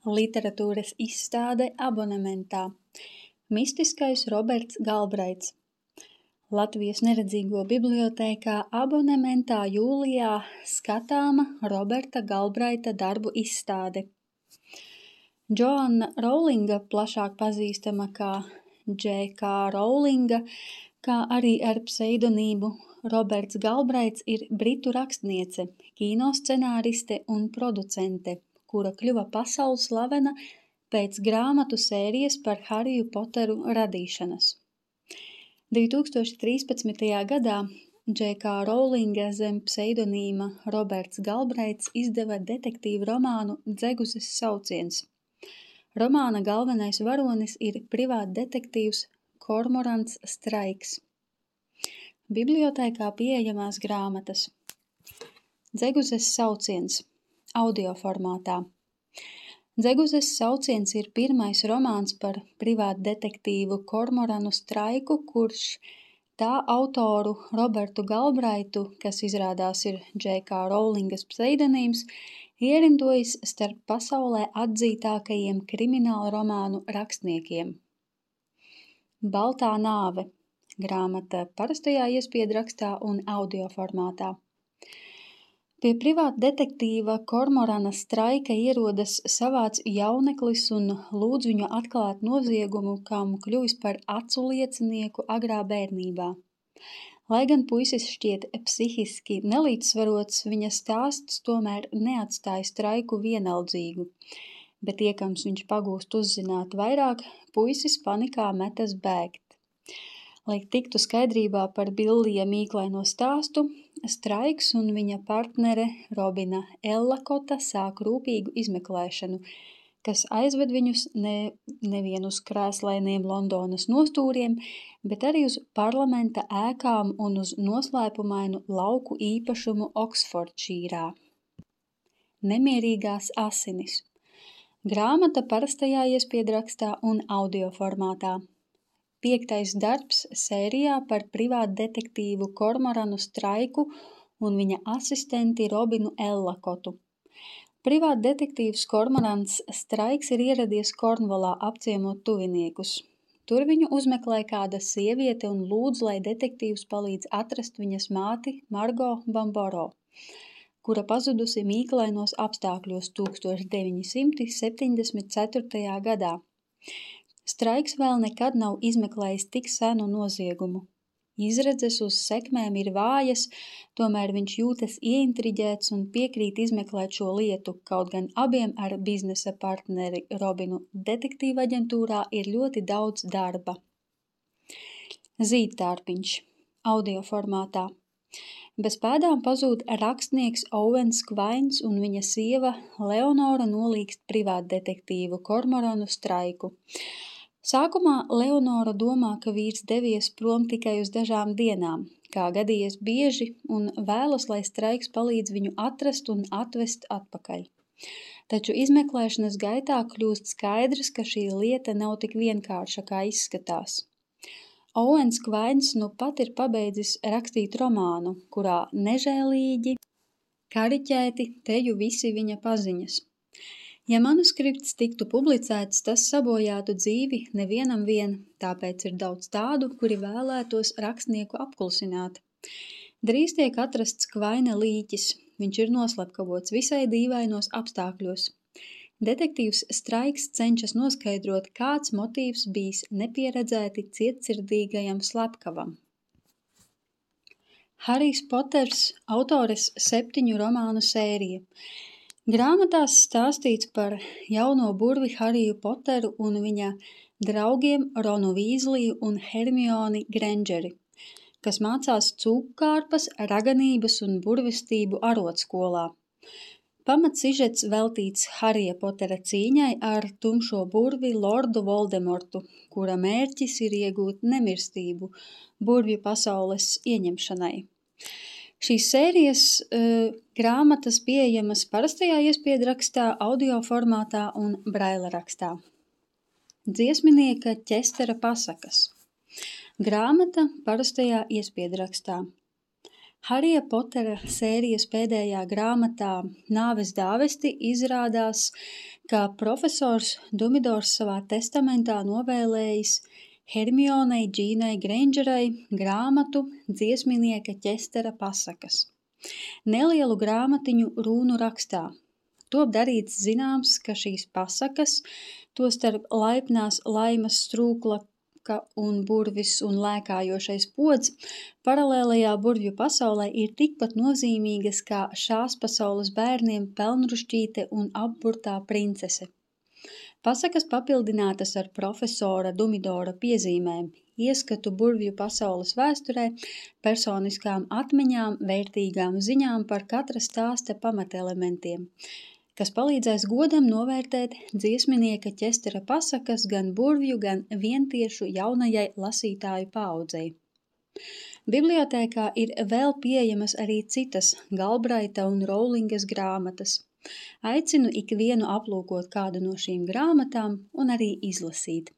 Literatūras izstāde abonementā. Mistiskais Roberts Galbraits. Latvijas neredzīgo bibliotēkā abonementā jūlijā skatāma Roberta Galbraita darbu izstāde. Džoanna Rowlinga, plašāk pazīstama kā J.K. Rowlinga, kā arī ar pseidonīmu Roberts Galbraits, ir britu rakstniece, kīnoscenāriste un producente, kura kļuva pasaules slavena pēc grāmatu sērijas par Hariju Poteru radīšanas. 2013. gadā J.K. Rowlinga zem pseidonīma Roberts Galbraits izdeva detektīvu romānu Dzeguzes sauciens. Romāna galvenais varonis ir privātdetektīvs Kormorants Straiks. Bibliotēkā pieejamās grāmatas. Dzeguzes sauciens audio formātā. Dzeguzes sauciens ir pirmais romāns par privātdetektīvu Kormoranu Straiku, kurš tā autoru Robertu Galbraitu, kas izrādās ir J.K. Rowlingas pseidonīms, ierindojis starp pasaulē atzītākajiem krimināla romānu rakstniekiem. Baltā nāve. Grāmata parastajā iespiedrakstā un audio formātā. Pie privātdetektīva Kormorana Straika ierodas savāds jauneklis un lūdz viņu atklāt noziegumu, kam kļuvis par acu liecinieku agrā bērnībā. Lai gan puisis šķiet psihiski nelīdzsvarots, viņa stāsts tomēr neatstāja Straiku vienaldzīgu, bet iekams viņš pagūst uzzināt vairāk, puisis panikā metas bēgt. Lai tiktu skaidrībā par Billija mīklaino stāstu, Straiks un viņa partnere Robina Ellakota sāk rūpīgu izmeklēšanu, kas aizved viņus nevien uz krēslainiem Londonas nostūriem, bet arī uz parlamenta ēkām un uz noslēpumainu lauku īpašumu Oksfordšīrā. Nemierīgās asinis. Grāmata parastajā iespiedrakstā un audio formātā. 5. darbs sērijā par privātdetektīvu Kormoranu Straiku un viņa asistenti Robinu Ellakotu. Privātdetektīvs Kormorants Straiks ir ieradies Kornvolā apciemot tuviniekus. Tur viņu uzmeklē kāda sieviete un lūdz, lai detektīvs palīdz atrast viņas māti Margo Bamboro, kura pazudusi mīklainos apstākļos 1974. gadā. Straiks vēl nekad nav izmeklējis tik senu noziegumu. Izredzes uz sekmēm ir vājas, tomēr viņš jūtas ieintriģēts un piekrīt izmeklēt šo lietu, kaut gan abiem ar biznesa partneri Robinu detektīva aģentūrā ir ļoti daudz darba. Zīdtārpiņš audio formātā. Bez pēdām pazūd rakstnieks Owens Kvains un viņa sieva Leonora nolīgst privātdetektīvu Kormoranu Straiku. Sākumā Leonora domā, ka vīrs devies prom tikai uz dažām dienām, kā gadījies bieži, un vēlas, lai Straiks palīdz viņu atrast un atvest atpakaļ. Taču izmeklēšanas gaitā kļūst skaidrs, ka šī lieta nav tik vienkārša, kā izskatās. Owens Kvains nu pat ir pabeidzis rakstīt romānu, kurā nežēlīgi, kariķēti teju visi viņa paziņas. Ja manuskripts tiktu publicēts, tas sabojātu dzīvi nevienam vien, tāpēc ir daudz tādu, kuri vēlētos rakstnieku apklusināt. Drīz tiek atrasts Kvaina līķis, viņš ir noslepkavots visai dīvainos apstākļos. Detektīvs Straiks cenšas noskaidrot, kāds motīvs bijis nepieredzēti cietsirdīgajam slepkavam. Harijs Poters, autores 7 romānu sērija. Grāmatās stāstīts par jauno burvi Hariju Poteru un viņa draugiem Ronu Vīzliju un Hermioni Grangeri, kas mācās cūkkārpas, raganības un burvestību arotskolā. Pamatsižets veltīts Harija Potera cīņai ar tumšo burvi Lordu Voldemortu, kura mērķis ir iegūt nemirstību burvju pasaules ieņemšanai. Šīs sērijas grāmatas pieejamas parastajā iespiedrakstā, audio formātā un braila rakstā. Dziesminieka Ķestera pasakas. Grāmata parastajā iespiedrakstā. Harija Potera sērijas pēdējā grāmatā Nāves dāvesti izrādās, ka profesors Dumidors savā testamentā novēlējis Hermionei Džīnai Graingerai grāmatu dziesminieka Ķestera pasakas. Nelielu grāmatiņu rūnu rakstā. Top darīts zināms, ka šīs pasakas, tostarp laipnās laimas strūklaka un burvis un lēkājošais pods, paralēlajā burvju pasaulē ir tikpat nozīmīgas kā šās pasaules bērniem pelnrušķīte un apburtā princese. Pasakas papildinātas ar profesora Dumidora piezīmēm, ieskatu burvju pasaules vēsturē, personiskām atmiņām, vērtīgām ziņām par katra stāsta pamatelementiem, kas palīdzēs godam novērtēt dziesminieka Ķestera pasakas gan burvju, gan vientiešu jaunajai lasītāju paaudzei. Bibliotēkā ir vēl pieejamas arī citas Galbraita un Rowlingas grāmatas. Aicinu ikvienu aplūkot kādu no šīm grāmatām un arī izlasīt.